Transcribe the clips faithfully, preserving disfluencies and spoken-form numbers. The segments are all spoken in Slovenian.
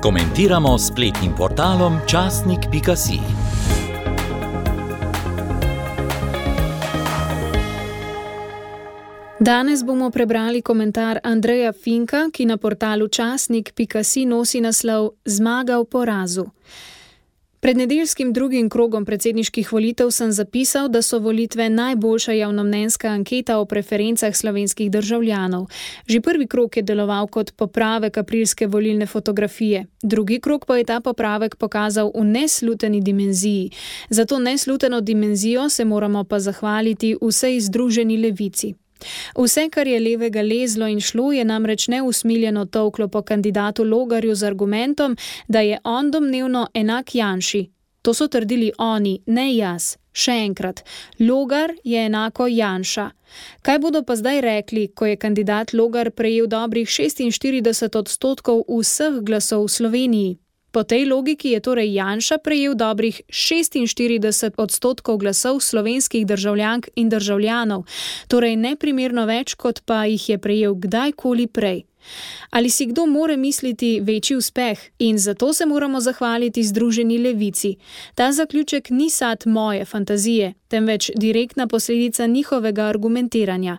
Komentiramo s spletnim portalom časnik pika si. Danes bomo prebrali komentar Andreja Finka, ki na portalu časnik pika si nosi naslov Zmaga v porazu. Pred nedeljskim drugim krogom predsedniških volitev sem zapisal, da so volitve najboljša javnomnenjska anketa o preferencah slovenskih državljanov. Že prvi krog je deloval kot popravek aprilske volilne fotografije. Drugi krog pa je ta popravek pokazal v nesluteni dimenziji. Za to nesluteno dimenzijo se moramo pa zahvaliti vsej združeni levici. Vse, kar je levega lezlo in šlo, je namreč neusmiljeno tolklo po kandidatu Logarju z argumentom, da je on domnevno enak Janši. To so trdili oni, ne jaz. Še enkrat, Logar je enako Janša. Kaj bodo pa zdaj rekli, ko je kandidat Logar prejel dobrih šestinštirideset odstotkov vseh glasov v Sloveniji? Po tej logiki je torej Janša prejel dobrih šestinštirideset odstotkov glasov slovenskih državljank in državljanov, torej neprimerno več, kot pa jih je prejel kdajkoli prej. Ali si kdo more misliti večji uspeh? In zato se moramo zahvaliti združeni levici. Ta zaključek ni sad moje fantazije, temveč direktna posledica njihovega argumentiranja.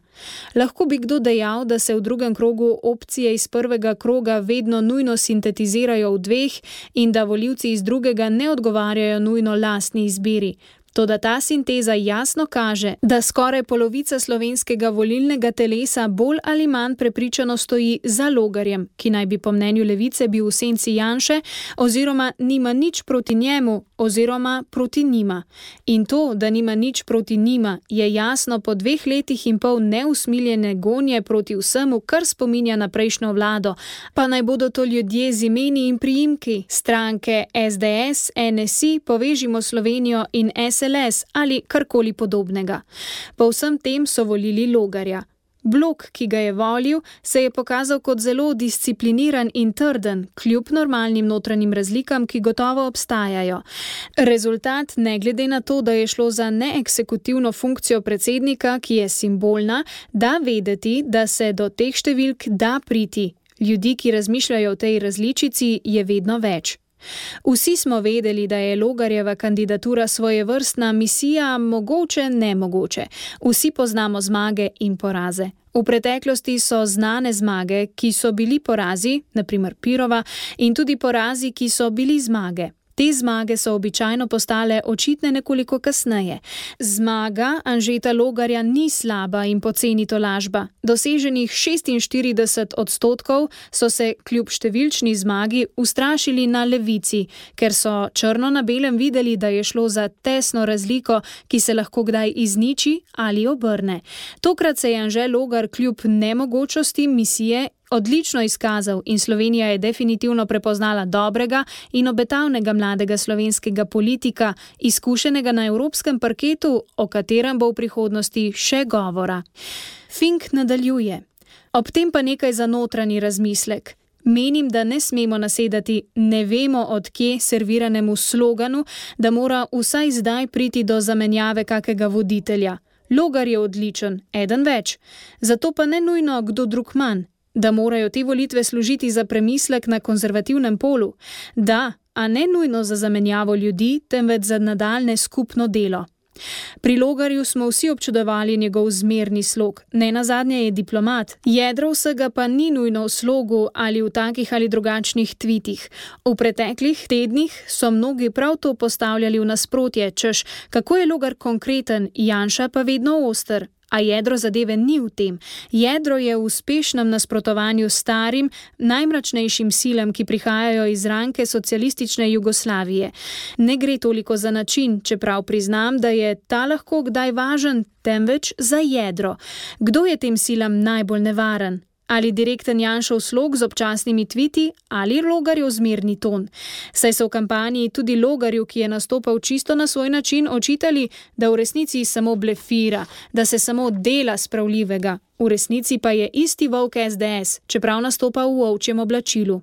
Lahko bi kdo dejal, da se v drugem krogu opcije iz prvega kroga vedno nujno sintetizirajo v dveh in da volivci iz drugega ne odgovarjajo nujno lastni izbiri. Toda ta sinteza jasno kaže, da skoraj polovica slovenskega volilnega telesa bolj ali manj prepričano stoji za Logarjem, ki naj bi po mnenju levice bil v senci Janše, oziroma nima nič proti njemu, oziroma proti njima. In to, da nima nič proti njima, je jasno po dveh letih in pol neusmiljene gonje proti vsemu, kar spominja na prejšnjo vlado, pa naj bodo to ljudje z imeni in priimki, stranke es de es, en es i, Povežimo Slovenijo in es el es ali karkoli podobnega. Po vsem tem so volili Logarja. Blok, ki ga je volil, se je pokazal kot zelo discipliniran in trden, kljub normalnim notranjim razlikam, ki gotovo obstajajo. Rezultat, ne glede na to, da je šlo za neeksekutivno funkcijo predsednika, ki je simbolna, da vedeti, da se do teh številk da priti. Ljudi, ki razmišljajo o tej različici, je vedno več. Vsi smo vedeli, da je Logarjeva kandidatura svojevrstna misija, mogoče nemogoče. Vsi poznamo zmage in poraze. V preteklosti so znane zmage, ki so bili porazi, na primer Pirova, in tudi porazi, ki so bili zmage. Te zmage so običajno postale očitne nekoliko kasneje. Zmaga Anžeta Logarja ni slaba in poceni tolažba. Doseženih šestinštirideset odstotkov so se kljub številčni zmagi ustrašili na levici, ker so črno na belem videli, da je šlo za tesno razliko, ki se lahko kdaj izniči ali obrne. Tokrat se je Anže Logar kljub nemogočosti misije odlično izkazal in Slovenija je definitivno prepoznala dobrega in obetavnega mladega slovenskega politika, izkušenega na evropskem parketu, o katerem bo v prihodnosti še govora. Fink nadaljuje. Ob tem pa nekaj za notranji razmislek. Menim, da ne smemo nasedati ne vemo od kje serviranemu sloganu, da mora vsaj zdaj priti do zamenjave kakega voditelja. Logar je odličen, eden več. Zato pa ne nujno kdo drug manj. Da morajo te volitve služiti za premislek na konzervativnem polu. Da, a ne nujno za zamenjavo ljudi, temveč za nadaljne skupno delo. Pri Logarju smo vsi občudovali njegov zmerni slog, nenazadnje je diplomat, jedro vsega pa ni nujno v slogu ali v takih ali drugačnih tvitih. V preteklih tednih so mnogi prav to postavljali v nasprotje, češ kako je Logar konkreten, Janša pa vedno oster. A jedro zadeve ni v tem. Jedro je v uspešnem nasprotovanju starim, najmračnejšim silam, ki prihajajo iz ranke socialistične Jugoslavije. Ne gre toliko za način, čeprav priznam, da je ta lahko kdaj važen, temveč za jedro. Kdo je tem silam najbolj nevaren? Ali direkten Janšov slog z občasnimi tviti ali Logarjev zmerni ton. Saj so v kampanji tudi Logarju, ki je nastopal čisto na svoj način, očitali, da v resnici samo blefira, da se samo dela spravljivega. V resnici pa je isti volk es de es, čeprav nastopa v ovčjem oblačilu.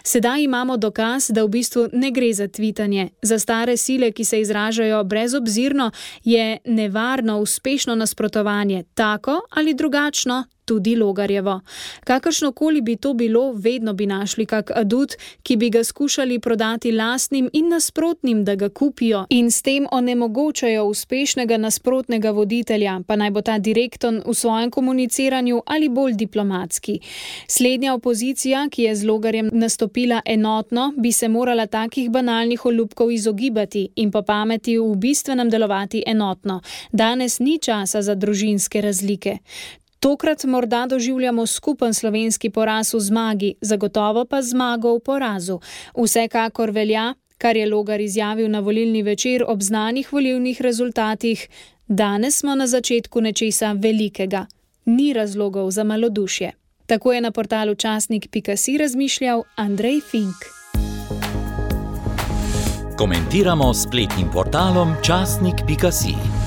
Sedaj imamo dokaz, da v bistvu ne gre za tvitanje. Za stare sile, ki se izražajo brezobzirno, je nevarno uspešno nasprotovanje, tako ali drugačno, tudi Logarjevo. Kakršnokoli bi to bilo, vedno bi našli kak adut, ki bi ga skušali prodati lastnim in nasprotnim, da ga kupijo in s tem onemogočajo uspešnega nasprotnega voditelja, pa naj bo ta direkton v svojem komuniciranju ali bolj diplomatski. Slednja opozicija, ki je z Logarjem nastopila enotno, bi se morala takih banalnih olupkov izogibati in po pameti v bistvenem delovati enotno. Danes ni časa za družinske razlike. Tokrat morda doživljamo skupen slovenski poraz v zmagi, zagotovo pa zmago v porazu. Vsekakor velja, kar je Logar izjavil na volilni večer ob znanih volilnih rezultatih, danes smo na začetku nečesa velikega. Ni razlogov za malodušje. Tako je na portalu časnik pika si razmišljal Andrej Fink. Komentiramo s spletnim portalom časnik pika si.